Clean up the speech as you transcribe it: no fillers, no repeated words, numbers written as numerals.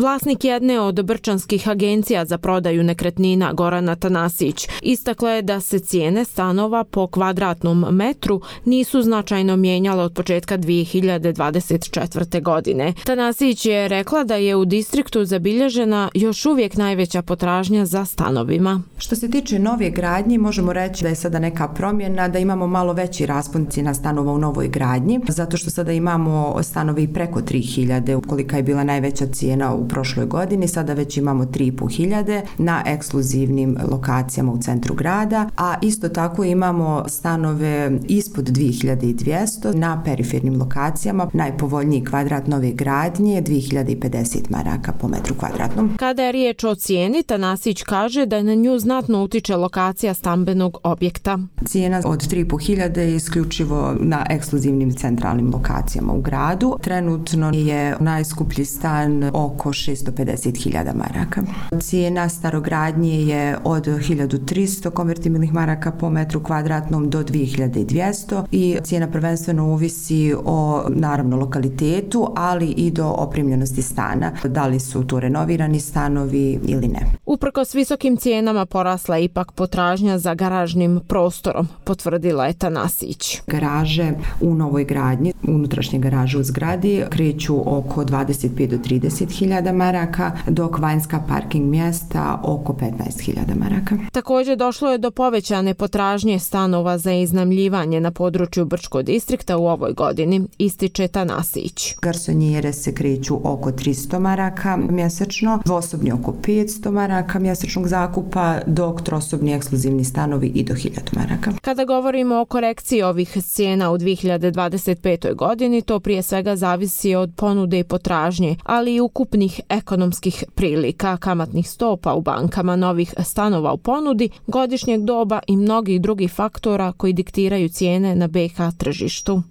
Vlasnik jedne od brčanskih agencija za prodaju nekretnina Gorana Tanasić istakla je da se cijene stanova po kvadratnom metru nisu značajno mijenjale od početka 2024. godine. Tanasić je rekla da je u distriktu zabilježena još uvijek najveća potražnja za stanovima. Što se tiče nove gradnje, možemo reći da je sada neka promjena, da imamo malo veći raspon cijena stanova u novoj gradnji, zato što sada imamo stanovi preko 3.000, kolika je bila najveća cijena u prošloj godini, sada već imamo 3.500 na ekskluzivnim lokacijama u centru grada, a isto tako imamo stanove ispod 2.200 na perifernim lokacijama. Najpovoljniji kvadrat nove gradnje je 2.050 maraka po metru kvadratnom. Kada je riječ o cijeni, Tanasić kaže da na nju znatno utiče lokacija stambenog objekta. Cijena od 3.500 je isključivo na ekskluzivnim centralnim lokacijama u gradu. Trenutno je najskuplji stan oko 650.000 maraka. Cijena starogradnje je od 1.300 konvertibilnih maraka po metru kvadratnom do 2.200 i cijena prvenstveno ovisi o naravno lokalitetu, ali i do opremljenosti stana. Da li su to renovirani stanovi ili ne. Uprkos visokim cijenama porasla je ipak potražnja za garažnim prostorom, potvrdila je Tanasić. Garaže u novoj gradnji, unutrašnje garaže u zgradi kreću oko 25 do 30.000 maraka, dok vanjska parking mjesta oko 15.000 maraka. Također došlo je do povećane potražnje stanova za iznajmljivanje na području Brčkog distrikta u ovoj godini, ističe Tanasić. Garsonjere se kreću oko 300 maraka mjesečno, dvosobni oko 500 maraka mjesečnog zakupa, dok trosobni ekskluzivni stanovi i do 1000 maraka. Kada govorimo o korekciji ovih cijena u 2025. godini, to prije svega zavisi od ponude i potražnje, ali i ukupnih ekonomskih prilika, kamatnih stopa u bankama, novih stanova u ponudi, godišnjeg doba i mnogih drugih faktora koji diktiraju cijene na BiH tržištu.